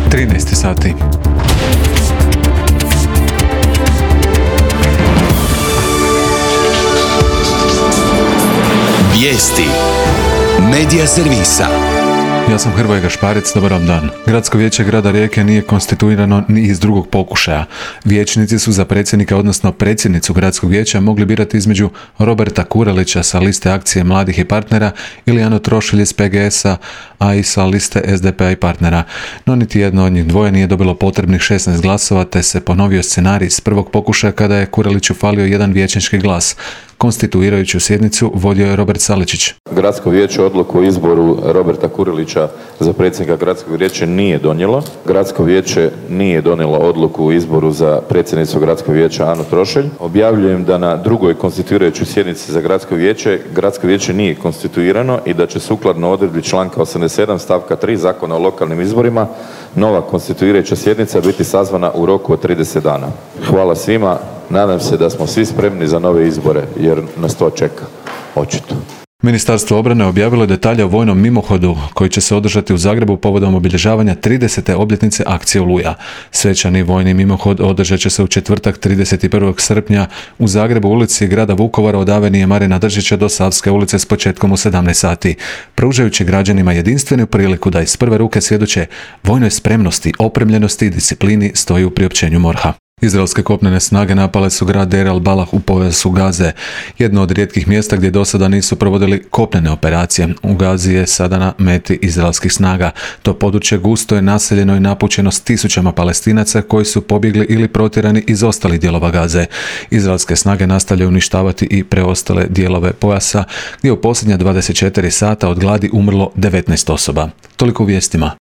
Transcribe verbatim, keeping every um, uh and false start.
trinaest sati. Vijesti Medija servisa. Ja sam Hrvoje Gašparec, dobar vam dan. Gradsko vijeće grada Rijeke nije konstituirano ni iz drugog pokušaja. Vijećnici su za predsjednika, odnosno predsjednicu gradskog vijeća mogli birati između Roberta Kurelića sa liste Akcije mladih i partnera ili Anu Trošilj iz P G S-a, a i sa liste S D P-a i partnera. No niti jedno od njih dvoje nije dobilo potrebnih šesnaest glasova, te se ponovio scenarij iz prvog pokušaja kada je Kureliću falio jedan vijećnički glas. Konstituirajuću sjednicu vodio je Robert Saličić. Gradsko vijeće odluku o izboru Roberta Kurelića za predsjednika gradskog vijeća nije donijelo. Gradsko vijeće nije donijelo odluku o izboru za predsjednicu gradskog vijeća Anu Trošelj. Objavljujem da na drugoj konstituirajućoj sjednici za gradsko vijeće, gradsko vijeće nije konstituirano i da će sukladno odredbi članka osamdeset sedam stavka tri Zakona o lokalnim izborima nova konstituirajuća sjednica biti sazvana u roku od trideset dana. Hvala svima. Nadam se da smo svi spremni za nove izbore, jer nas to čeka, očito. Ministarstvo obrane objavilo je detalje o vojnom mimohodu koji će se održati u Zagrebu povodom obilježavanja tridesete obljetnice akcije Oluja. Svečani vojni mimohod održat će se u četvrtak trideset prvog srpnja u Zagrebu, ulici grada Vukovara od Avenije Marina Držića do Savske ulice s početkom u sedamnaest sati, pružajući građanima jedinstvenu priliku da iz prve ruke svjedoče vojnoj spremnosti, opremljenosti i disciplini, stoji u priopćenju MORH-a. Izraelske kopnene snage napale su grad Deir al-Balah u pojasu Gaze, jedno od rijetkih mjesta gdje do sada nisu provodili kopnene operacije. U Gazi je sada na meti izraelskih snaga. To područje gusto je naseljeno i napućeno s tisućama Palestinaca koji su pobjegli ili protjerani iz ostalih dijelova Gaze. Izraelske snage nastavljaju uništavati i preostale dijelove pojasa, gdje u posljednja dvadeset četiri sata od gladi umrlo devetnaest osoba. Toliko u vijestima.